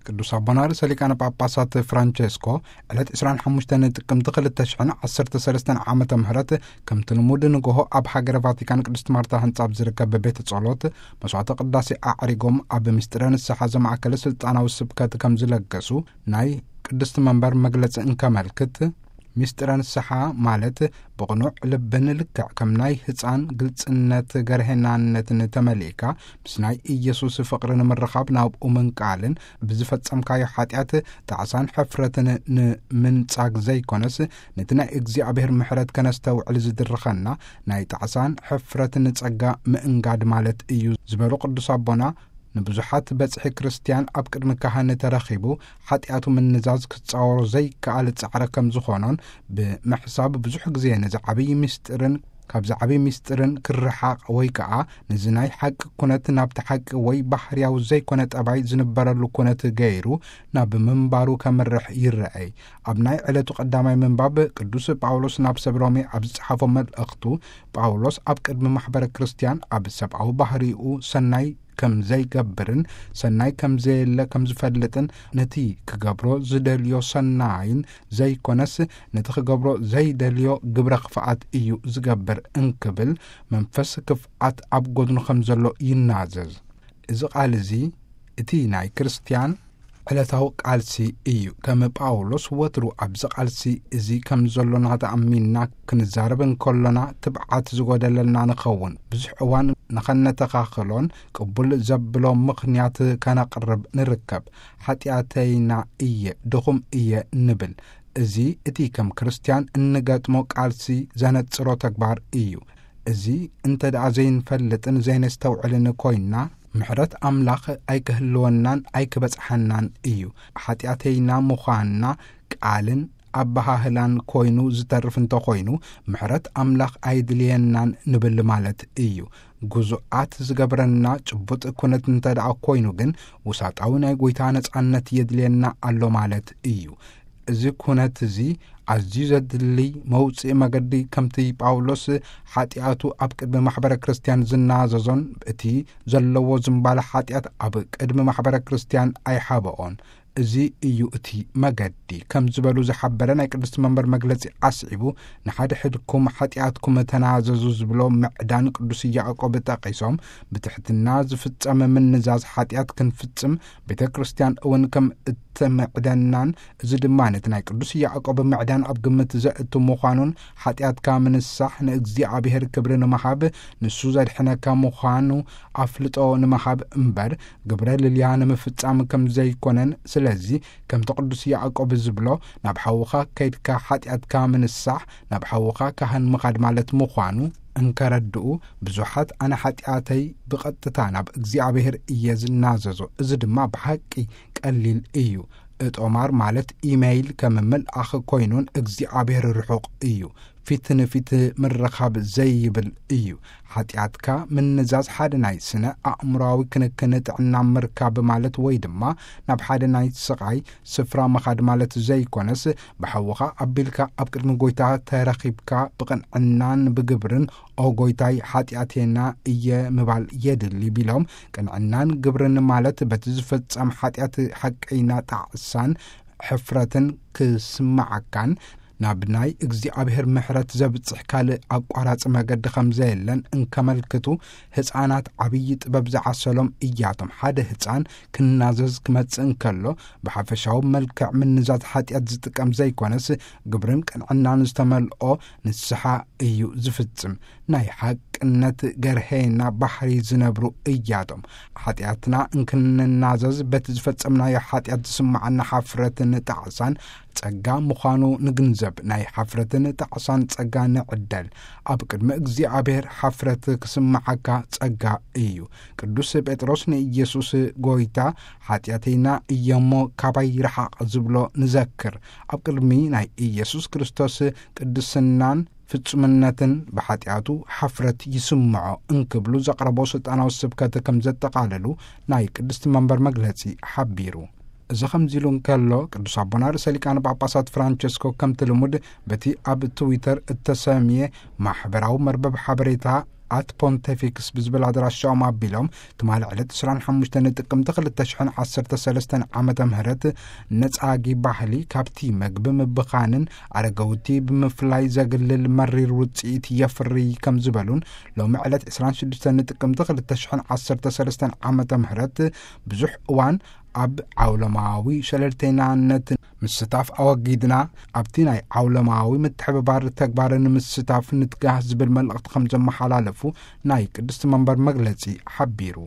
ቅዱስ ኣቦና ርእሰ ሊቃነ ጳጳሳት ፍራንቸስኮ ዕለት ዕስራን ሓሙሽተን ጥቅምቲ ክልተ ሽሕን ዓሰርተ ሰለስተን ዓመተ ምህረት ከምቲ ልሙድ ንግሆ ኣብ ሃገረ ቫቲካን ቅድስት ማርታ ህንጻ ኣብ ዝርከብ ቤተ ጸሎት መስዋዕተ ቅዳሴ ኣዕሪጎም ኣብ ምስጢረ ንስሓ ዘማእከለ ስልጣናዊ ስብከት ከም ዝለገሱ ናይ ቅድስት መንበር መግለጺ እንከመልክት፣ ምስጢረ ንስሓ ማለት ብቕኑዕ ልብን ልክዕ ከም ናይ ህጻን ግልጽነት ገርሄናነትን ተመሊእካ ምስ ናይ ኢየሱስ ፍቕሪ ንምርኻብ ናብኡ ምንቃልን ብዝፈጸምካዮ ሓጢኣት ጣዕሳን ሕፍረትን ንምንጻግ ዘይኮነስ፣ ነቲ ናይ እግዚኣብሔር ምሕረት ከነስተውዕል ዝድርኸና ናይ ጣዕሳን ሕፍረትን ጸጋ ምእንጋድ ማለት እዩ ዝበሉ ቅዱስ ኣቦና፣ ንብዙሓት በጽሒ ክርስትያን ኣብ ቅድሚ ካህን ተረኺቡ ሓጢኣቱ ምንዛዝ ክጻወሮ ዘይከኣል ጻዕሪ ከም ዝኾኖን ብምሕሳብ ብዙሕ ግዜ ነዚ ዓብዪ ምስጢርን ካብዚ ዓብዪ ምስጢርን ክርሓቕ ወይ ከኣ ነዚ ናይ ሓቂ ኩነት ናብቲ ሓቂ ወይ ባህርያዊ ዘይኮነ ጠባይ ዝንበረሉ ኩነት ገይሩ ናብ ምንባሩ ከምርሕ ይረኣይ። ኣብ ናይ ዕለቱ ቀዳማይ ምንባብ ቅዱስ ጳውሎስ ናብ ሰብ ሮሜ ኣብ ዝጸሓፎ መልእኽቱ፣ ጳውሎስ ኣብ ቅድሚ ማሕበረ ክርስትያን ኣብ ሰብኣዊ ባህሪኡ ሰናይ ከም ዘይገብርን ሰናይ ከም ዘየለ ከም ዝፈልጥን ነቲ ክገብሮ ዝደልዮ ሰናይን ዘይኮነስ ነቲ ክገብሮ ዘይደልዮ ግብረ ክፍኣት እዩ ዝገብር እንክብል መንፈስ ክፍኣት ኣብ ጎድኑ ከም ዘሎ ይናዘዝ። እዚ ቃል እዚ እቲ ናይ ክርስትያን ዕለታዊ ቃልሲ እዩ። ከም ጳውሎስ ወትሩ ኣብዚ ቃልሲ እዚ ከም ዘሎና ተኣሚንና ክንዛረብ እንከሎና ትብዓት ዝጎደለልና ንኸውን። ብዙሕ እዋን ንኸነተኻኽሎን ቅቡል ዘብሎ ምኽንያት ከነቕርብ ንርከብ። ሓጢኣተይና እየ፣ ድኹም እየ ንብል። እዚ እቲ ከም ክርስትያን እንገጥሞ ቃልሲ ዘነጽሮ ተግባር እዩ። እዚ እንተ ደኣ ዘይንፈልጥን ዘይነስተውዕልን ኮይንና፣ ምሕረት ኣምላኽ ኣይክህልወናን ኣይክበጽሓናን እዩ። ሓጢኣተይና ምዃንና ቃልን ኣበሃህላን ኮይኑ ዝተርፍ እንተኾይኑ፣ ምሕረት ኣምላኽ ኣይድልየናን ንብል ማለት እዩ። ግዙኣት ዝገብረና ጭቡጥ ኩነት እንተ ደኣ ኮይኑ ግን፣ ውሳጣዊ ናይ ጐይታ ነጻነት የድልየና ኣሎ ማለት እዩ። እዚ ኩነት እዚ ኣዝዩ ዘድልይ መውጽኢ መገዲ፣ ከምቲ ጳውሎስ ሓጢኣቱ ኣብ ቅድሚ ማሕበረ ክርስትያን ዝናዘዞን እቲ ዘለዎ ዝምባለ ሓጢኣት ኣብ ቅድሚ ማሕበረ ክርስትያን ኣይሓበኦን። እዚ እዩ እቲ መገዲ ከም ዝበሉ ዝሓበረ ናይ ቅድስቲ መንበር መግለጺ ኣስዒቡ፣ ንሓድሕድኩም ሓጢኣትኩም ተናዘዙ ዝብሎ ምዕዳን ቅዱስ ያዕቆብ ጠቒሶም፣ ብትሕትና ዝፍጸም ምንዛዝ ሓጢኣት ክንፍጽም ቤተ ክርስትያን እውን ከም እትምዕደናን፣ እዚ ድማ ነቲ ናይ ቅዱስ ያዕቆብ ምዕዳን ኣብ ግምት ዘእቱ ምዃኑን፣ ሓጢኣትካ ምንሳሕ ንእግዚኣብሔር ክብሪ ንምሃብ፣ ንሱ ዘድሕነካ ምዃኑ ኣፍልጦ ንምሃብ እምበር፣ ግብረ ልልያ ንምፍጻም ከም ዘይኮነን፣ ስለዚ ከምቲ ቅዱስ ያዕቆብ ዝብሎ፣ ናብ ሓውኻ ከይድካ ሓጢኣትካ ምንሳሕ፣ ናብ ሓውኻ ካህን ምኻድ ማለት ምዃኑ እንከረድኡ፣ ብዙሓት ኣነ ሓጢኣተይ ብቐጥታ ናብ እግዚኣብሔር እየ ዝናዘዞ፣ እዚ ድማ ብሓቂ ቀሊል እዩ። እጦማር ማለት ኢመይል ከም ምልኣኽ ኮይኑን እግዚኣብሔር ርሑቕ እዩ። ፊት ንፊት ምርኻብ ዘይብል እዩ። ሓጢኣትካ ምንዛዝ ሓደ ናይ ስነ ኣእምሮኣዊ ክንክን ጥዕና ምርካብ ማለት ወይ ድማ ናብ ሓደ ናይ ስቓይ ስፍራ ምኻድ ማለት ዘይኮነስ፣ ብሓውኻ ኣቢልካ ኣብ ቅድሚ ጐይታ ተረኺብካ ብቕንዕናን ብግብርን "ኦ ጐይታይ፣ ሓጢኣቴና እየ" ምባል የድሊ ቢሎም፣ ቅንዕናን ግብርን ማለት በቲ ዝፍጸም ሓጢኣት ሓቀይና ጣዕሳን ሕፍረትን ክስምዓካን ናብ ናይ እግዚኣብሔር ምሕረት ዘብጽሕ ካልእ ኣቋራጺ መገዲ ከም ዘየለን እንከመልክቱ፣ ህጻናት ዓብዪ ጥበብ ዝዓሰሎም እያቶም። ሓደ ህጻን ክናዘዝ ክመጽእ እንከሎ፣ ብሓፈሻዊ መልክዕ ምንዛዝ ሓጢኣት ዝጥቀም ዘይኮነስ፣ ግብርን ቅንዕናን ዝተመልኦ ንስሓ እዩ ዝፍጽም። ናይ ሓቅነት ገርሄና ባህሪ ዝነብሩ እያቶም። ሓጢኣትና እንክንናዘዝ በቲ ዝፈጸምናዮ ሓጢኣት ዝስምዓና ሓፍረትን ጣዕሳን ጸጋ ምዃኑ ንግንዘብ። ናይ ሓፍረትን ጣዕሳን ጸጋ ንዕደል። ኣብ ቅድሚ እግዚኣብሔር ሓፍረት ክስምዓካ ጸጋ እዩ። ቅዱስ ጴጥሮስ ንኢየሱስ ጐይታ፣ "ሓጢኣተይና እየሞ ካባይ ርሓቕ" ዝብሎ ንዘክር። ኣብ ቅድሚ ናይ ኢየሱስ ክርስቶስ ቅድስናን ፍጹምነትን ብሓጢኣቱ ሓፍረት ይስምዖ እንክብሉ ዘቕረቦ ስልጣናዊ ስብከት ከም ዘጠቓለሉ ናይ ቅድስቲ መንበር መግለጺ ሓቢሩ። እዚ ከምዚ ኢሉ እንከሎ፣ ቅዱስ ኣቦና ርእሰ ሊቃነ ጳጳሳት ፍራንቸስኮ ከምቲ ልሙድ በቲ ኣብ ትዊተር እተሰምየ ማሕበራዊ መርበብ ሓበሬታ ኣት ፖንቴፊክስ ብዝብል ኣድራሻኦም ኣቢሎም፣ ትማሊ ዕለት ዕስራን ሓሙሽተን ጥቅምቲ ክልተ ሽሕን ዓሰርተ ሰለስተን ዓመተ ምህረት ነጻጊ ባህሊ ካብቲ መግቢ ምብኻንን ኣረገውቲ ብምፍላይ ዘግልል መሪር ውጽኢት የፍሪ ከም ዝበሉን፣ ሎሚ ዕለት ዕስራን ሽዱሽተን ጥቅምቲ ክልተ ሽሕን ዓሰርተ ሰለስተን ዓመተ ምህረት ብዙሕ እዋን ኣብ ዓውለማዊ ሸለልተይናነት ምስታፍ ኣወጊድና፣ ኣብቲ ናይ ዓውለማዊ ምትሕብባር ተግባር ንምስታፍ ንትጋህ ዝብል መልእኽቲ ከም ዘመሓላለፉ ናይ ቅድስቲ መንበር መግለጺ ሓቢሩ።